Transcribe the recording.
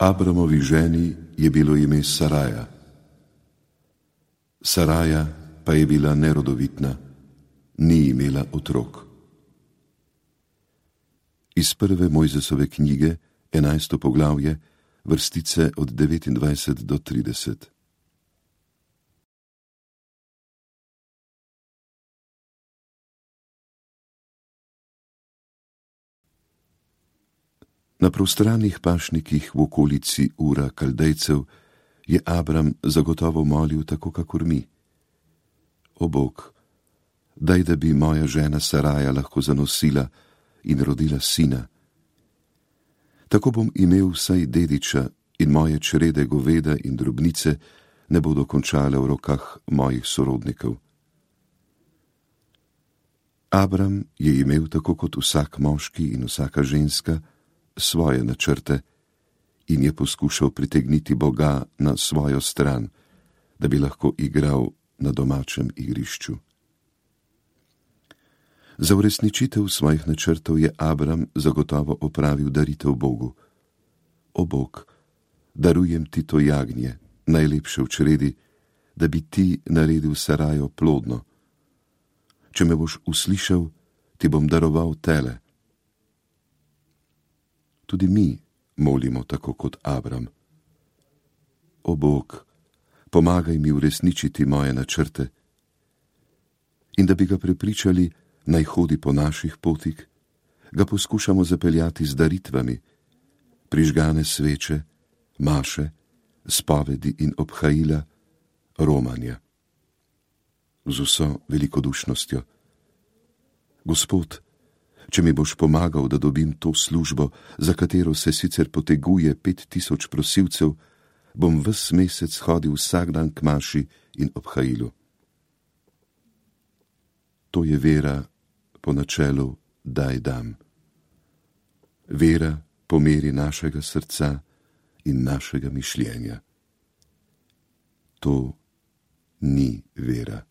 Abramovi ženi je bilo ime Saraja. Saraja pa je bila nerodovitna, ni imela otrok. Iz prve Mojzesove knjige, 11. poglavje, vrstice od 29 do 30. Na prostranih pašnikih v okolici Ura Kaldejcev je Abram zagotovo molil tako kakor mi. O Bog, daj, da bi moja žena Saraja lahko zanosila in rodila sina. Tako bom imel vsaj dediča in moje črede goveda in drobnice ne bodo končale v rokah mojih sorodnikov. Abram je imel tako kot vsak moški in vsaka ženska svoje načrte in je poskušal pritegniti Boga na svojo stran, da bi lahko igral na domačem igrišču. Za uresničitev svojih načrtov je Abram zagotovo opravil daritev Bogu. O Bog, darujem ti to jagnje, najlepše v čredi, da bi ti naredil Sarajo plodno. Če me boš uslišal, ti bom daroval tele. Tudi mi molimo tako kot Abram. O Bog, pomagaj mi uresničiti moje načrte in da bi ga prepričali, naj hodi po naših potih, ga poskušamo zapeljati z daritvami, prižgane sveče, maše, spovedi in obhajila, romanja. Z vso velikodušnostjo. Gospod, če mi boš pomagal, da dobim to službo, za katero se sicer poteguje 5000 prosilcev, bom ves mesec hodil vsak dan k maši in obhajilu. To je vera po načelu daj dam. Vera po meri našega srca in našega mišljenja. To ni vera.